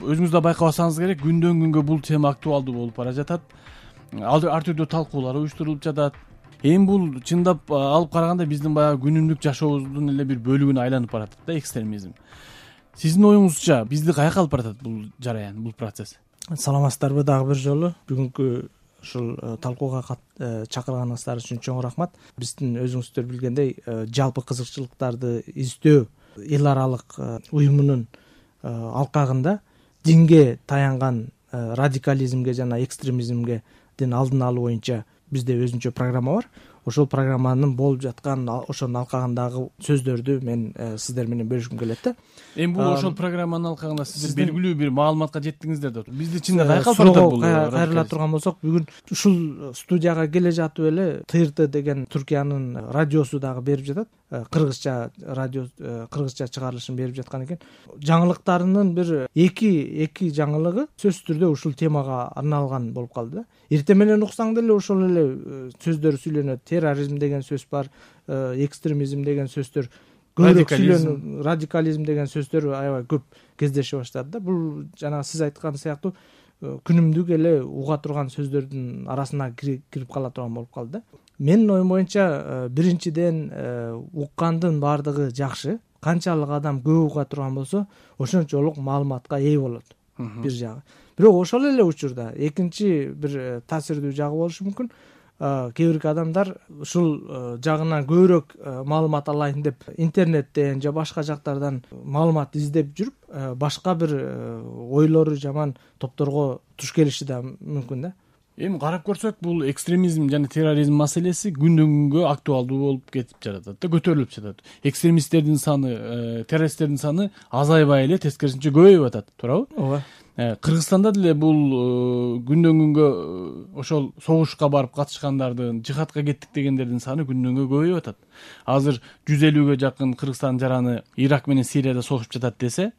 өзүңүз да байкабасаңыз керек, күндөн күнгө бул тема актуалдуу болуп бара жатат. Ар түрдүү талкуулар уюштурулуп жатат. Эми бул чындап алып караганда биздин баягы күнүмдүк жашообуздун эле бир бөлүгүнө айланып баратат да экстремизм. Сиздин оюңузча бизди каяка алып баратат бул жараян, бул процесс? Саламатсыздарбы дагы бир жолу. Бүгүнкү ушул талкууга чакырганыңыздар үчүн чоң рахмат. Биздин өзүңүздөр билгендей жалпы кызыкчылыктарды издөө эл аралык уюмунун алкагында динге таянган радикализмге жана экстремизмге алдын алуу боюнча бизде өзүнчө программа бар. Ошол программанын болуп жаткан ошонун алкагындагы сөздөрдү мен сиздер менен бөлүшкүм келет да. Эми бул ошол программанын алкагында сиздер белгилүү бир маалыматка жеттиңиздер да. Бизди чынында каяка алып барат бул? Кайрыла турган болсок, бүгүн ушул студияга келе жатып эле ТРТ деген Түркиянын радиосу дагы берип жатат. Кыргызча радио, кыргызча чыгарылышын берип жаткан экен. Жаңылыктарынын бир эки жаңылыгы сөзсүз түрдө ушул темага арналган болуп калды да. Эртең менен уксаң деле ошол эле сөздөр сүйлөнөт. Терроризм деген сөз бар, экстремизм деген сөздөр көбүрөөк сүйлөнөт, радикализм деген сөздөр аябай көп кездеше баштады да. Бул жана сиз айткан сыяктуу күнүмдүк эле уга турган сөздөрдүн арасына кирип кала турган болуп калды да. Менин оюм боюнча биринчиден уккандын баардыгы жакшы. Канчалык адам көп уга турган болсо, ошончолук маалыматка ээ болот. Бир жагы. Бирок ошол эле учурда экинчи бир таасирдүү жагы болушу мүмкүн. Кээ бир адамдар ушул жагынан көбүрөөк маалымат алайын деп интернеттен же башка жактардан маалымат издеп жүрүп, башка бир ойлору жаман топторго туш келиши да мүмкүн да. Эми карап көрсөк, бул экстремизм жана терроризм маселеси күндөн күнгө актуалдуу болуп кетип жатат да, көтөрүлүп жатат. Экстремисттердин саны, террористтердин саны азайбай эле тескерисинче көбөйүп атат, туурабы? Ооба. Кыргызстанда деле бул күндөн күнгө ошол согушка барып катышкандардын, жихадка кеттик дегендердин саны күндөн күнгө көбөйүп атат. Азыр 150гө жакын Кыргызстан жараны Ирак менен Сирияда согушуп жатат десе,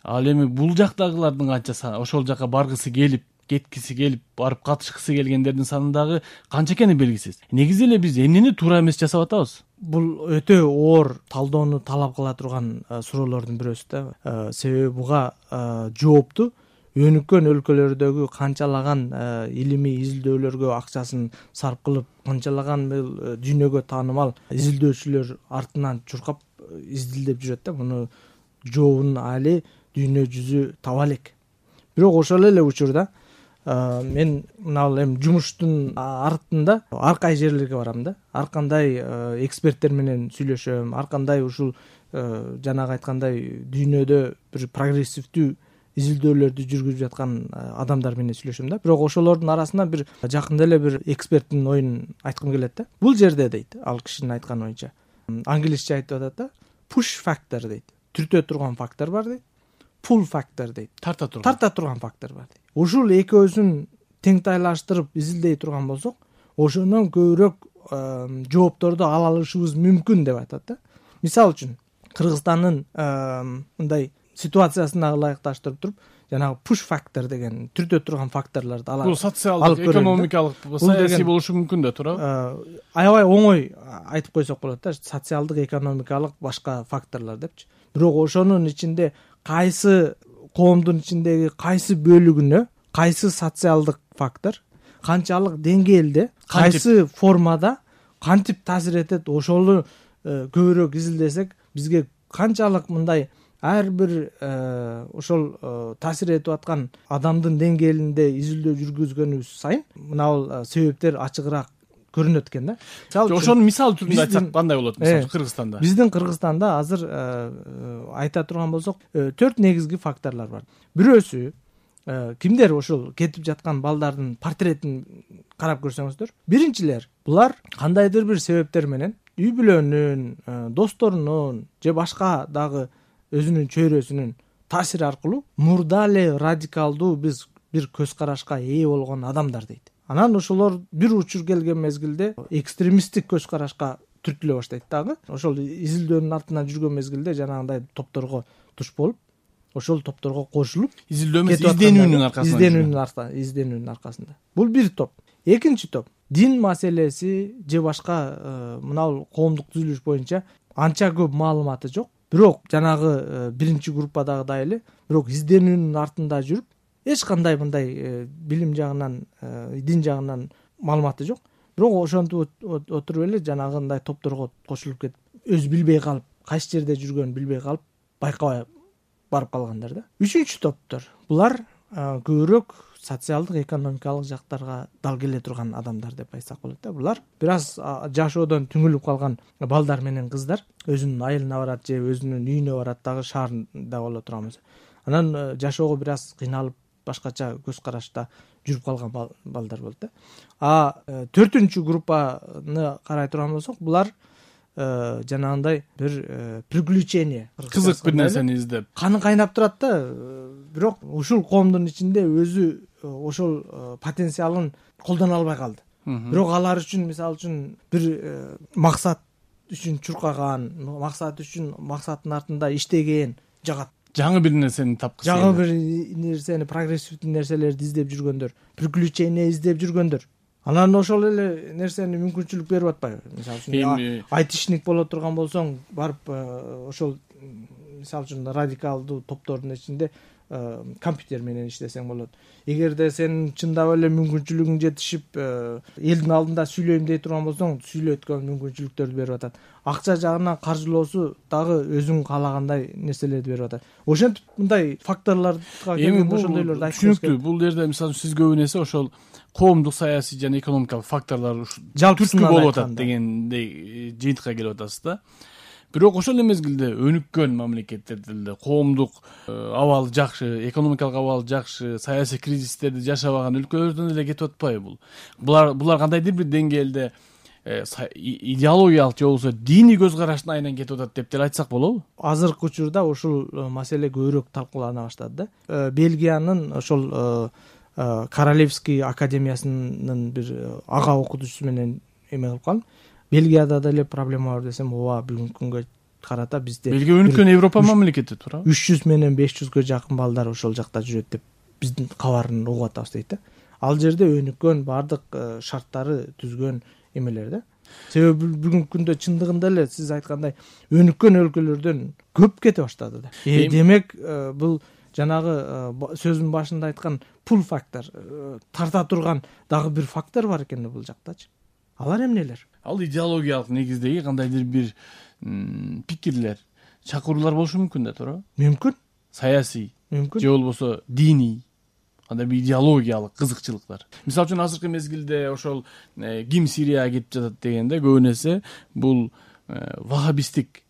ал эми бул жактагылардын канча саны, ошол жака баргысы келип, кеткиси келип, барып катышкысы келгендердин саны дагы канча экени белгисиз. Негизи эле биз эмнени туура эмес жасап атабыз? Бул өтө оор талдоону талап кыла турган суроолордун бирөөсү да. Себеби буга жоопту өнүккөн өлкөлөрдөгү канчалаган илимий изилдөөлөргө акчасын сарп кылып, канчалаган дүйнөгө таанымал изилдөөчүлөр артынан чуркап изилдеп жүрөт да. Муну жообун али дүйнө жүзү таба элек. Бирок ошол эле учурда мен мына эми жумуштун артында ар кай жерлерге барам да. Ар кандай эксперттер менен сүйлөшөм, ар кандай ушул жанагы айткандай дүйнөдө бир прогрессивдүү изилдөөлөрдү жүргүзүп жаткан адамдар менен сүйлөшөм да. Бирок ошолордун арасынан бир жакында эле бир эксперттин оюн айткым келет да. Бул жерде дейт, ал кишинин айткан оюнча, англисче айтып атат да, push factor дейт. Түртө турган фактор бар дейт. Pull factor дейт. Тарта турган фактор бар дейт. Ушул экөөсүн теңтайлаштырып изилдей турган болсок, ошондон көбүрөөк жоопторду ала алышыбыз мүмкүн деп айтат да. Мисалы үчүн Кыргызстандын мындай ситуациясына ылайыкташтырып туруп, жанагы push factor деген түртө турган факторлорду алып. Бул социалдык, экономикалык, саясий болушу мүмкүн да, туурабы? Аябай оңой айтып койсок болот да, социалдык, экономикалык башка факторлор депчи. Бирок ошонун ичинде кайсы коомдун ичиндеги кайсы бөлүгүнө кайсы социалдык фактор канчалык деңгээлде, кайсы формада кантип таасир этет, ошону көбүрөөк изилдесек, бизге канчалык мындай ар бир ошол таасир этип аткан адамдын деңгээлинде изилдөө жүргүзгөнүбүз сайын мына себептер ачыгыраак көрүнөт экен да. Ошонун мисал түрүндө айтсак кандай болот? Мисалы Кыргызстанда. Биздин Кыргызстанда азыр айта турган болсок, 4 негизги факторлор бар. Бирөөсү кимдер ошол кетип жаткан балдардын портретин карап көрсөңүздөр, биринчилер булар кандайдыр бир себептер менен үй бүлөнүн, досторунун же башка дагы өзүнүн чөйрөсүнүн таасири аркылуу мурда эле радикалдуу биз бир көз карашка ээ болгон адамдар дейт. Анан ошолор бир учур келген мезгилде экстремисттик көз карашка түртүлө баштайт дагы. Ошол изилдөөнүн артынан жүргөн мезгилде жанагындай топторго туш болуп, ошол топторго кошулуп, изденүүнүн аркасында. Бул бир топ. Экинчи топ дин маселеси же башка мына коомдук түзүлүш боюнча анча көп маалыматы жок. Бирок жанагы биринчи группадагыдай эле бирок изденүүнүн артында жүрүп эч кандай мындай билим жагынан, дин жагынан маалыматы жок, бирок ошентип отуруп эле жанагындай топторго кошулуп кетип, өзү билбей калып, кайсы жерде жүргөнүн билбей калып, байкабай барып калгандар да. Үчүнчү топтор булар көбүрөөк социалдык, экономикалык жактарга дал келе турган адамдар деп айтсак болот да. Булар бир аз жашоодон түңүлүп калган балдар менен кыздар, өзүнүн айылына барат же өзүнүн үйүнө барат дагы, шаарда боло турган болсо. Анан жашоого бир аз кыйналып, башкача көз карашта жүрүп калган балдар болот да. Төртүнчү группаны карай турган болсок, булар жанагындай бир приключение, кызык бир нерсени издеп, каны кайнап турат да, бирок ушул коомдун ичинде өзү ошол потенциалын колдоно албай калды. Бирок алар үчүн, мисалы үчүн, бир максат үчүн чуркаган, максат үчүн максаттын артында иштеген жагат. Жаңы бир нерсени тапкысы, жаңы бир нерсени, прогрессивдүү нерселерди издеп жүргөндөр, приключение издеп жүргөндөр. Анан ошол эле нерсени мүмкүнчүлүк берип атпайбы? Мисалы үчүн айтишник боло турган болсоң, барып ошол мисалы үчүн радикалдуу топтордун ичинде компьютер менен иштесең болот. Эгерде сен чындап эле мүмкүнчүлүгүң жетишип, элдин алдында сүйлөйм дей турган болсоң, сүйлөткөн мүмкүнчүлүктөрдү берип атат. Акча жагынан каржылоосу дагы өзүң каалагандай нерселерди берип атат. Ошентип мындай факторлорго келгенде ошондойлорду айтып түшүнүктүү. Бул жерде мисалы сиз көбүн эсе ошол коомдук, саясий жана экономикалык факторлор түрткү болуп атат дегендей жыйынтыкка келип атасыз да. Бирок ошол эле мезгилде өнүккөн мамлекеттерде коомдук абалы жакшы, экономикалык абалы жакшы, саясий кризистерди жашабаган өлкөлөрдөн эле кетип атпайбы бул? Булар кандайдыр бир деңгээлде идеологиялык же болбосо диний көз караштын айынан кетип атат деп деле айтсак болобу? Азыркы учурда ушул маселе көбүрөөк талкуулана баштады да. Бельгиянын ошол Королевский академиясынын бир ага окутуучусу менен эме кылып калдым. Бельгияда деле проблема бар десем, ооба, бүгүнкү күнгө карата бизде Бельгия өнүккөн Европа мамлекети туурабы? 300 менен 500гө жакын балдар ошол жакта жүрөт деп биздин кабарын угуп атабыз дейт да. Ал жерде өнүккөн, бардык шарттары түзгөн эмелер да. Себеби бүгүнкү күндө чындыгында эле сиз айткандай өнүккөн өлкөлөрдөн көп кете баштады да. Демек бул жанагы сөзүмдүн башында айткан пул фактор, тарта турган дагы бир фактор бар экен бул жактачы. Алар эмнелер? Ал идеологиялык негиздеги кандайдыр бир пикирлер, чакыруулар болушу мүмкүн да, туурабы? Мүмкүн. Саясий, мүмкүн. Же болбосо диний, кандай бир идеологиялык кызыкчылыктар. Мисалы үчүн азыркы мезгилде ошол ким Сирияга кетип жатат дегенде көбүн эсе бул вахабистик,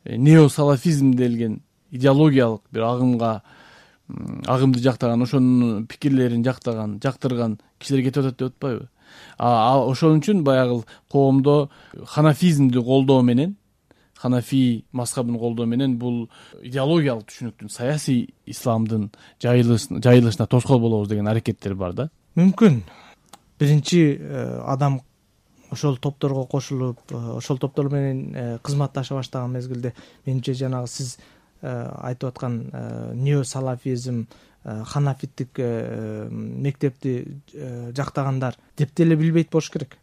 неосалафизм делген идеологиялык бир агымды жактаган, ошонун пикирлерин жактырган кишилер кетип атат деп атпайбы? Ошон үчүн баягы коомдо ханафизмди колдоо менен, ханафи мазхабын колдоо менен бул идеологиялык түшүнүктүн, саясий исламдын жайылышына тоскоол болобуз деген аракеттер бар да. Мүмкүн. Биринчи адам ошол топторго кошулуп, ошол топтор менен кызматташа баштаган мезгилде менимче жанагы сиз айтып аткан неосалафизм, ханафиттик мектепти жактагандар деп деле билбейт болуш керек.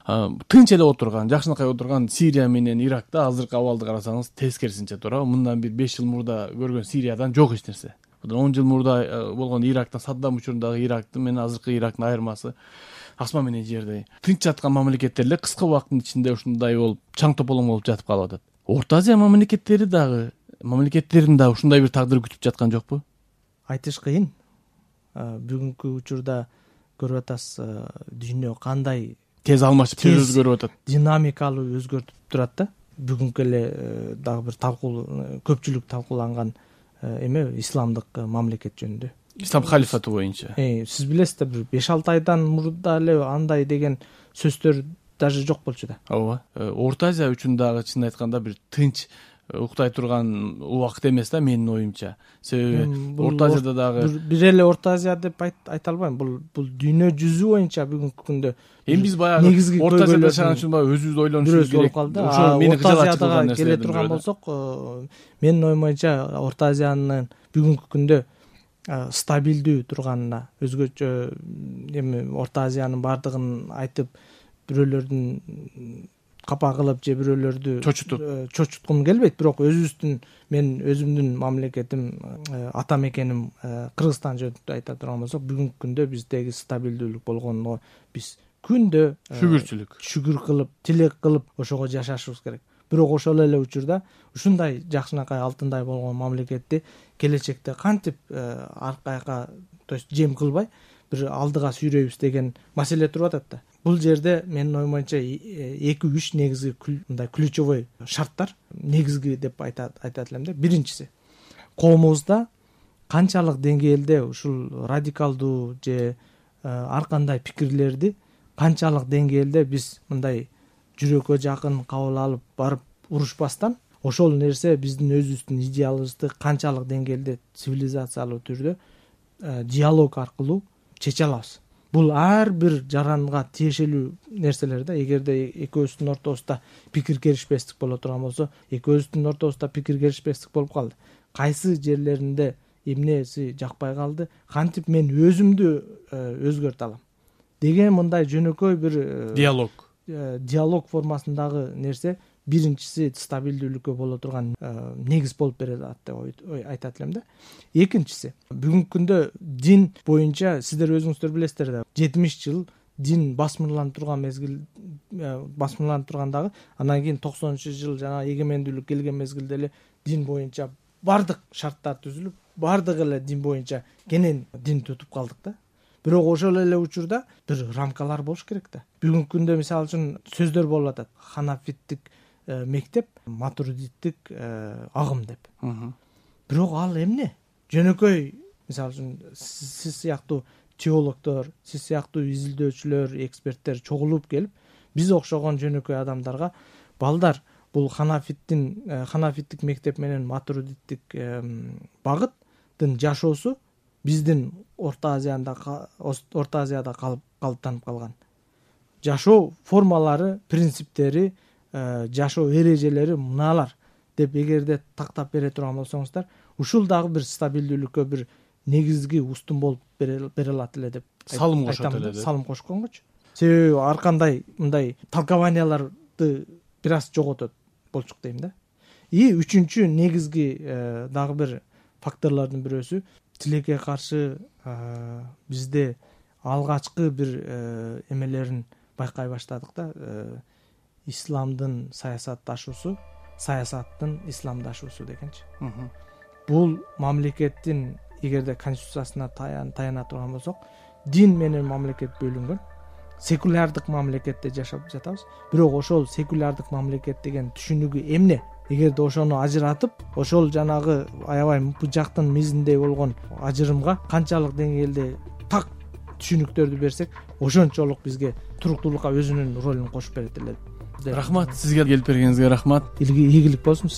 Тынч эле отурган, жакшынакай отурган Сирия менен Иракта азыркы абалды карасаңыз тескерисинче туурабы? Мындан бир 5 жыл мурда көргөн Сириядан жок эч нерсе. 10 жыл мурда болгон Ирактан, Саддам учурундагы Ирактын менен азыркы Ирактын айырмасы асман менен жердей. Тынч жаткан мамлекеттер эле кыска убакыттын ичинде ушундай болуп, чаң тополоң болуп жатып калып атат. Орто Азия мамлекеттерин дагы ушундай бир тагдыр күтүп жаткан жокпу? Айтыш кыйын. Бүгүнкү учурда көрүп атасыз, дүйнө кандай тез алмашып, тез өзгөрүп атат. Динамикалуу өзгөртүп турат да. Бүгүнкү эле дагы бир көпчүлүк талкууланган эме исламдык мамлекет жөнүндө. Ислам халифаты боюнча. Сиз билесиз да, бир 5-6 айдан мурда эле андай деген сөздөр даже жок болчу да. Ооба. Орто Азия үчүн дагы чын айтканда бир тынч уктай турган убакыт эмес да, менин оюмча. Себеби Орто Азияда дагы бир эле Орто Азия деп айта албайм. Бул дүйнө жүзү боюнча бүгүнкү күндө эми биз баягы Орто Азияда жашаган үчүн баягы өзүбүздү ойлонушубуз керек. Ошол мени кызыктырган нерсе. Келе турган болсок, менин оюм боюнча Орто Азиянын бүгүнкү күндө стабилдүү турганына, өзгөчө эми Орто Азиянын бардыгын айтып бирөөлөрдүн капа кылып же бирөөлөрдү чочуткум келбейт, бирок мен өзүмдүн мамлекетим, ата мекеним Кыргызстан жөнүндө айта турган болсок, бүгүнкү күндө биздеги стабилдүүлүк болгонго биз күндө шүгүр кылып, тилек кылып ошого жашашыбыз керек. Бирок ошол эле учурда ушундай жакшынакай алтындай болгон мамлекетти келечекте кантип аркайга, то есть жем кылбай бир алдыга сүйрөйбүз деген маселе туруп атат да. Бул жерде менин оюм боюнча 2-3 негизги мындай ключевой шарттар, негизги деп айтат элем да. Биринчиси, коомубузда канчалык деңгээлде ушул радикалдуу же ар кандай пикирлерди канчалык деңгээлде биз мындай жүрөккө жакын кабыл алып барып урушпастан, ошол нерсе биздин өзүбүздүн идеалыбызды канчалык деңгээлде цивилизациялуу түрдө диалог аркылуу чече алабыз. Бул ар бир жаранга тиешелүү нерселер да. Эгерде экөөбүздүн ортобузда пикир келишпестик боло турган болсо, экөөбүздүн ортобузда пикир келишпестик болуп калды. Кайсы жерлеринде эмнеси жакпай калды, кантип мен өзүмдү өзгөртө алам деген мындай жөнөкөй бир диалог формасындагы нерсе биринчиси стабилдүүлүккө боло турган негиз болуп берет деп айтат элем да. Экинчиси, бүгүнкү күндө дин боюнча сиздер өзүңүздөр билесиздер да, 70 жыл дин басмырланып турган мезгил, басмырланып тургандагы, анан кийин 90-жыл жана эгемендүүлүк келген мезгилде эле дин боюнча бардык шарттар түзүлүп, бардык эле дин боюнча кенен дин тутуп калдык да. Бирок ошол эле учурда бир рамкалар болуш керек да. Бүгүнкү күндө мисалы үчүн сөздөр болуп атат. Ханафиттик мектеп, матуридиттик агым деп. Бирок ал эмне? Жөнөкөй, мисалы үчүн сиз сыяктуу теологдор, сиз сыяктуу изилдөөчүлөр, эксперттер чогулуп келип, биз окшогон жөнөкөй адамдарга балдар бул ханафиттик мектеп менен матуридиттик багыттын жашоосу биздин Орто Азияда калыптанып калган. Жашоо формалары, принциптери, жашоо эрежелери мыналар деп эгерде тактап бере турган болсоңуздар, ушул дагы бир стабилдүүлүккө бир негизги устун болуп бере алат эле деп салым кошот эле. Салым кошконгочу. Себеби ар кандай мындай толкованияларды бир аз жоготот болчук дейм да. И үчүнчү негизги дагы бир факторлордун бирөөсү, тилекке каршы бизде алгачкы бир эмелерин байкай баштадык да. Исламдын саясатташуусу, саясаттын исламдашуусу дегенчи. Бул мамлекеттин эгерде конституциясына таяна турган болсок, дин менен мамлекет бөлүнгөн. Секулярдык мамлекетте жашап жатабыз. Бирок ошол секулярдык мамлекет деген түшүнүгү эмне? Эгерде ошону ажыратып, ошол жанагы аябай быжактын мизиндей болгон ажырымга канчалык деңгээлде так түшүнүктөрдү берсек, ошончолук бизге туруктуулукка өзүнүн ролун кошуп берет эле. Рахмат, сизге келип бергениңизге рахмат. Ийгилик болсун.